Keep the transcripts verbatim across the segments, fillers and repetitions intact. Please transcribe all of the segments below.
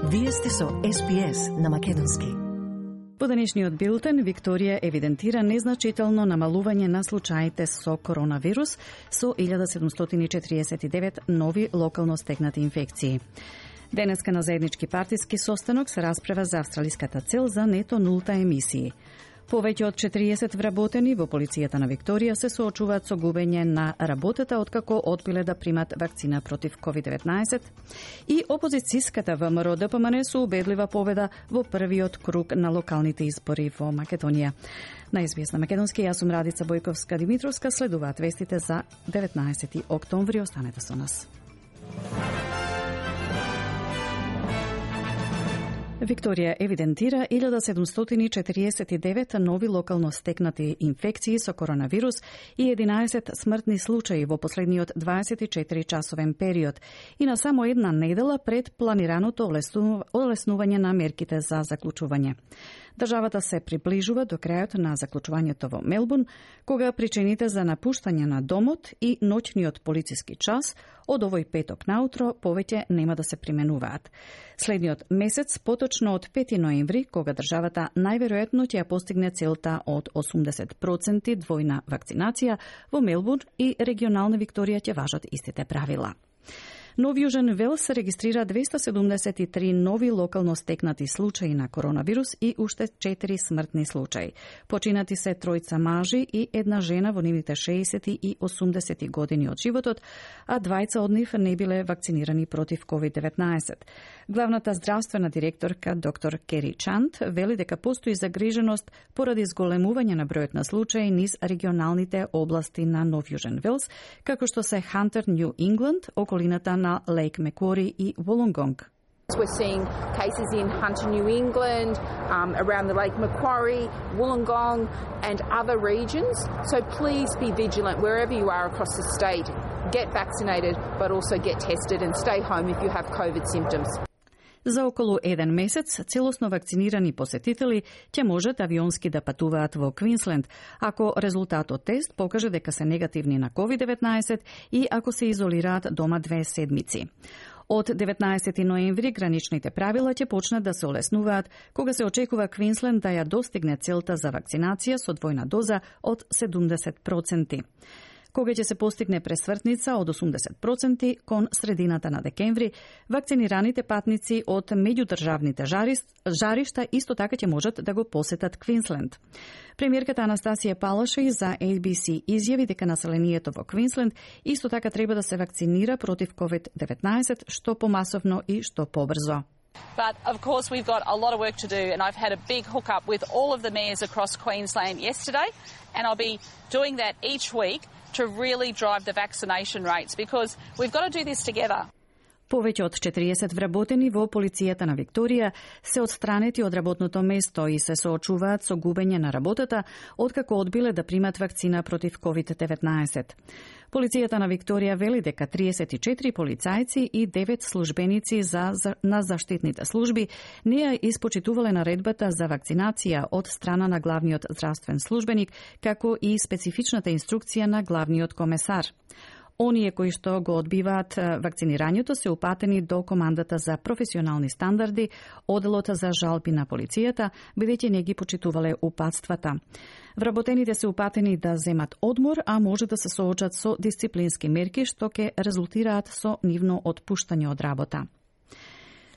Вие сте со Ес Би Ес на македонски. По денешниот билтен, Викторија евидентира незначително намалување на случаите со коронавирус со илјада седумстотини и четириесет и девет нови локално стекнати инфекции. Денеска на заеднички партиски состанок се расправа за австралиската цел за нето нулта емисии. Повеќе од четириесет вработени во полицијата на Викторија се соочуваат со губење на работата откако одбиле да примат вакцина против ковид деветнаесет и опозицијската ВМРО Д П М Н со убедлива победа во првиот круг на локалните избори во Македонија. На Ес Би Ес на македонски, јас сум Радица Бојковска-Димитровска, следуваат вестите за деветнаесети октомври. Останете со нас. Викторија евидентира илјада седумстотини и четириесет и девет нови локално стекнати инфекции со коронавирус и единаесет смртни случаи во последниот дваесет и четири часовен период и на само една недела пред планираното олеснување на мерките за заклучување. Државата се приближува до крајот на заклучувањето во Мелбурн, кога причините за напуштање на домот и ноќниот полициски час од овој петок наутро повеќе нема да се применуваат. Следниот месец, поточно од пети ноември, кога државата најверојатно ќе ја постигне целта од осумдесет проценти двојна вакцинација, во Мелбурн и регионална Викторија ќе важат истите правила. Нов Јужен Велс регистрира двеста седумдесет и три нови локално стекнати случаи на коронавирус и уште четири смртни случаи. Починати се тројца мажи и една жена во нивните шеесети и осумдесети години од животот, а двајца од нив не биле вакцинирани против ковид деветнаесет. Главната здравствена директорка доктор Кери Чант вели дека постои загриженост поради зголемување на бројот на случаи низ регионалните области на Нов Јужен Велс, како што се Хантер, Нью Ингланд, околината на Лейк Маквари и Волонгонг. We're seeing cases in Hunter, New England, um, around the Lake Macquarie, Wollongong and other regions. So please be vigilant wherever you are across the state. Get vaccinated, but also get tested and stay home if you have COVID symptoms. За околу еден месец целосно вакцинирани посетители ќе можат авионски да патуваат во Квинсленд, ако резултатот тест покаже дека се негативни на ковид деветнаесет и ако се изолираат дома две седмици. Од деветнаесети ноември граничните правила ќе почнат да се олеснуваат кога се очекува Квинсленд да ја достигне целта за вакцинација со двојна доза од седумдесет проценти. Кога ќе се постигне пресвртница од осумдесет проценти кон средината на декември, вакцинираните патници од меѓудржавните жаришта исто така ќе можат да го посетат Квинсленд. Премиерката Анастасија Палаши за Ей Би Си изјави дека населението во Квинсленд исто така треба да се вакцинира против ковид деветнаесет што помасовно и што побрзо. But of course we've got a lot of work to do, and I've had a big hookup with all of the mayors across Queensland yesterday, and I'll be doing that each week to really drive the vaccination rates, because we've got to do this together. Повеќе од четириесет вработени во полицијата на Викторија се отстранети од работното место и се соочуваат со губење на работата откако одбиле да примат вакцина против ковид деветнаесет. Полицијата на Викторија вели дека триесет и четири полицајци и девет службеници за, за, на заштитните служби не ја испочитувале наредбата за вакцинација од страна на главниот здравствен службеник, како и специфичната инструкција на главниот комесар. Оние кои што го одбиваат вакцинирањето се упатени до командата за професионални стандарди, оделот за жалби на полицијата, бидејќи не ги почитувале упатствата. Вработените се упатени да земат одмор, а може да се соочат со дисциплински мерки што ќе резултираат со нивно отпуштање од работа.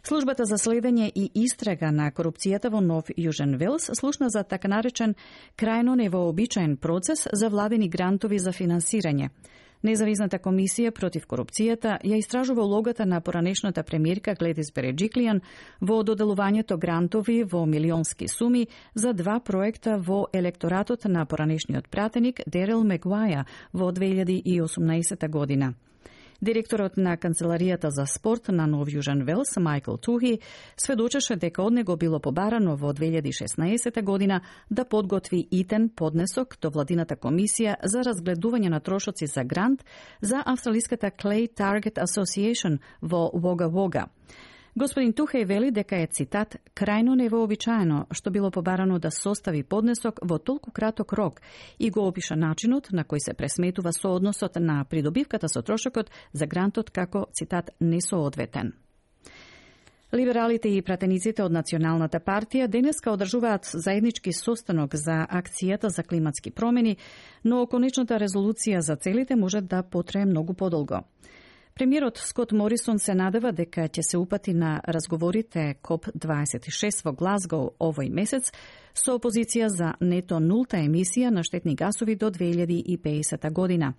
Службата за следење и истрага на корупцијата во Нов Јужен Велс слушна за така наречен крајно невообичаен процес за владени грантови за финансирање. Независната комисија против корупцијата ја истражува улогата на поранешната премиерка Гледис Береджиклијан во доделувањето грантови во милионски суми за два проекта во електоратот на поранешниот пратеник Дерел Мегуаја во две илјади и осумнаесета година. Директорот на Канцеларијата за спорт на Нов Јужен Велс, Мајкл Тухи, сведочеше дека од него било побарано во две илјади и шеснаесета година да подготви итен поднесок до владината комисија за разгледување на трошоци за грант за австралиската Clay Target Association во Wagga Wagga. Господин Тухеј вели дека е, цитат, крајно невообичаено што било побарано да состави поднесок во толку краток рок и го опиша начинот на кој се пресметува соодносот на придобивката со трошокот за грантот како, цитат, несоодветен. Либералите и пратениците од Националната партија денеска одржуваат заеднички состанок за акцијата за климатски промени, но конечната резолуција за целите може да потрае многу подолго. Премиерот Скот Морисон се надева дека ќе се упати на разговорите коп дваесет и шест во Глазгоу овој месец со опозиција за нето нулта емисија на штетни гасови до две илјади и пеесета година.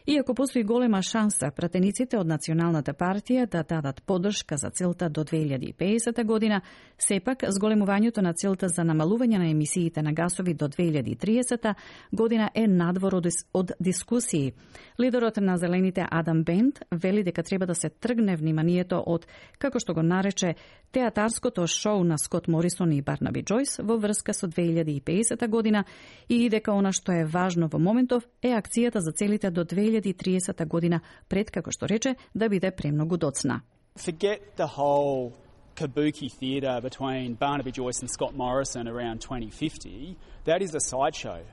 Иако постои голема шанса пратениците од Националната партија да дадат поддршка за целта до две илјади и пеесета година, сепак зголемувањето на целта за намалување на емисиите на гасови до две илјади и триесета година е надвор од дискусии. Лидерот на Зелените Адам Бент вели дека треба да се тргне вниманието од, како што го нарече, театарското шоу на Скот Морисон и Барнаби Џојс во врска со две илјади и пеесета година и дека она што е важно во моментов е акцијата за целите до две илјади и триесета година пред, како што рече, да биде премногу доцна. Forget the whole kabuki theatre between Barnaby Joyce and Scott Morrison around twenty fifty. That is a sideshow.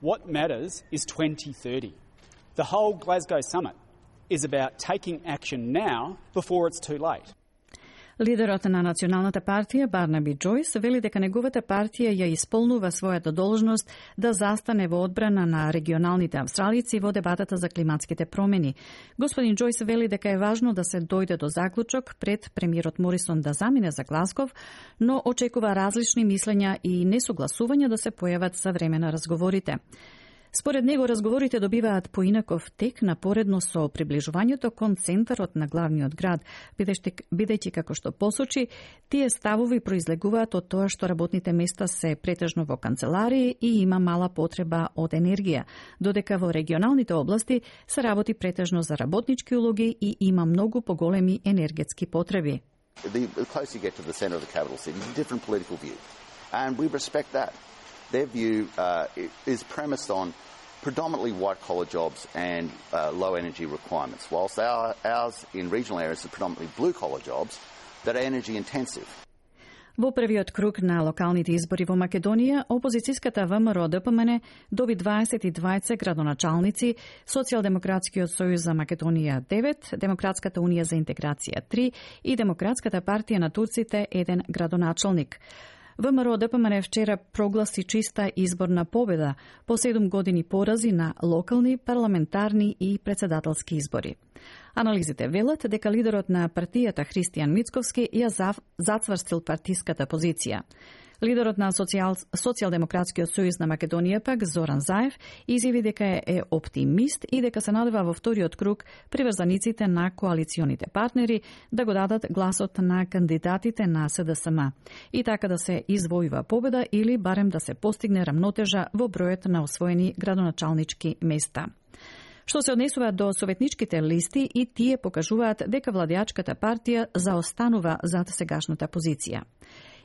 What matters is twenty thirty. The whole Glasgow summit is about taking action now before it's too late. Лидерот на Националната партија Барнаби Џојс вели дека неговата партија ја исполнува својата должност да застане во одбрана на регионалните австралици во дебатата за климатските промени. Господин Џојс вели дека е важно да се дојде до заклучок пред премиерот Морисон да замине за Глазгов, но очекува различни мислења и несогласувања да се појават за време на разговорите. Според него, разговорите добиваат поинаков тек напоредно со приближувањето кон центарот на главниот град, бидејќи, како што посочи, тие ставови произлегуваат од тоа што работните места се претежно во канцеларии и има мала потреба од енергија, додека во регионалните области се работи претежно за работнички улоги и има многу поголеми енергетски потреби. The closer you get to the centre of the capital city, it's a different political view, and we respect that. Their view uh, is premised on predominantly white-collar jobs and uh, low-energy requirements, whilst our, ours in regional areas are predominantly blue-collar jobs that are energy-intensive. Во првиот круг на локалните избори во Македонија, опозицијската ВМРО Д П М Н доби дваесет и двајца градоначалници, Социјалдемократскиот сојуз за Македонија девет, Демократската унија за интеграција три и Демократската партија на турците еден градоначалник. ВМРО Д П М Н вчера прогласи чиста изборна победа по седум години порази на локални, парламентарни и председателски избори. Анализите велат дека лидерот на партијата Христијан Мицковски ја зацврстил партиската позиција. Лидерот на Социјал, Социјалдемократскиот сојуз на Македонија пак Зоран Заев изјави дека е оптимист и дека се надева во вториот круг приврзаниците на коалиционите партнери да го дадат гласот на кандидатите на С Д С М и така да се извојува победа или барем да се постигне рамнотежа во бројот на освоени градоначалнички места. Што се однесува до советничките листи, и тие покажуваат дека владеачката партија заостанува зад сегашната позиција.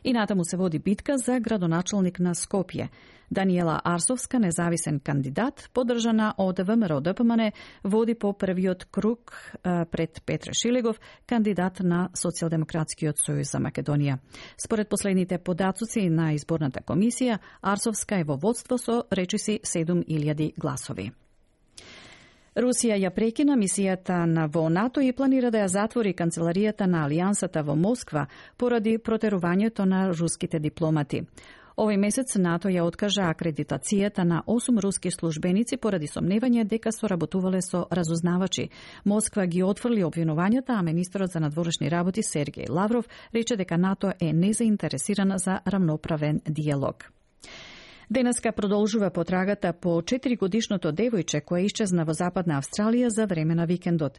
И натаму се води битка за градоначалник на Скопје. Даниела Арсовска, независен кандидат, поддржана од ВМРО Д П М Н, води по првиот круг пред Петре Шилегов, кандидат на Социјалдемократскиот сојуз за Македонија. Според последните податоци на изборната комисија, Арсовска е во водство со речиси седум илјади гласови. Русија ја прекина мисијата на во НАТО и планира да ја затвори канцеларијата на Алијансата во Москва поради протерувањето на руските дипломати. Овој месец НАТО ја откажа акредитацијата на осум руски службеници поради сомневање дека соработувале со разузнавачи. Москва ги отфрли обвинувањата, а министерот за надворешни работи Сергеј Лавров рече дека НАТО е незаинтересирана за рамноправен диалог. Денеска продолжува потрагата по четиригодишното девојче кое исчезна во Западна Австралија за време на викендот.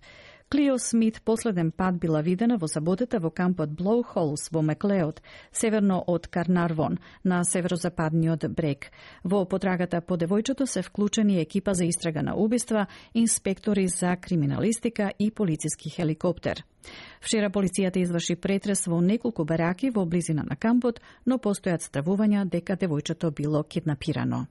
Клио Смит последен пат била видена во саботата во кампот Блоу Холс во Маклеод, северно од Карнарвон, на северозападниот брег. Во потрагата по девојчето се вклучени екипа за истрага на убиства, инспектори за криминалистика и полициски хеликоптер. Вчера полицијата изврши претрес во неколку бараки во близина на кампот, но постојат стравувања дека девојчето било киднапирано.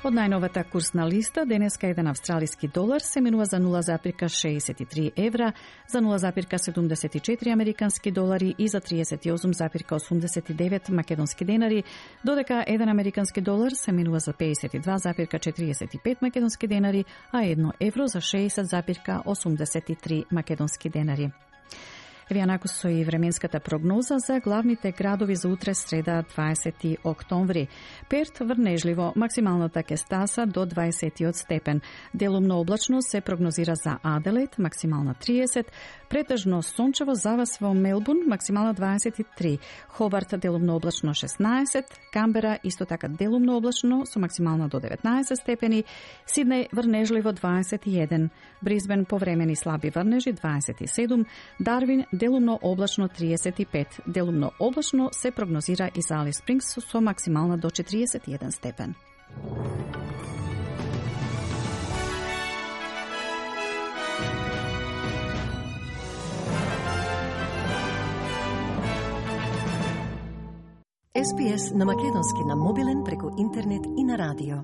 Од најновата курсна листа, денеска еден австралиски долар се менува за нула запирка шеесет и три евра, за нула запирка седумдесет и четири американски долари и за триесет и осум запирка осумдесет и девет македонски денари, додека еден американски долар се менува за пеесет и два запирка четириесет и пет македонски денари, а едно евро за шеесет запирка осумдесет и три македонски денари. Еве јанаку со и временската прогноза за главните градови за утре среда дваесети октомври. Перт врнежливо, максималната ќе стаса до дваесет степен. Делумно облачно се прогнозира за Аделаид, максимална триесет, претежно сончево за вас во Мелбурн, максимална дваесет и три, Хобарт делумно облачно шеснаесет, Камбера исто така делумно облачно со максимална до деветнаесет степени, Сиднеј врнежливо дваесет и еден, Брисбен повремени слаби врнежи дваесет и седум, Дарвин делумно облачно триесет и пет, делумно облачно се прогнозира и за Алис Спрингс со максимална до четириесет и еден степен. Ес Би Ес на македонски на мобилен преку интернет и на радио.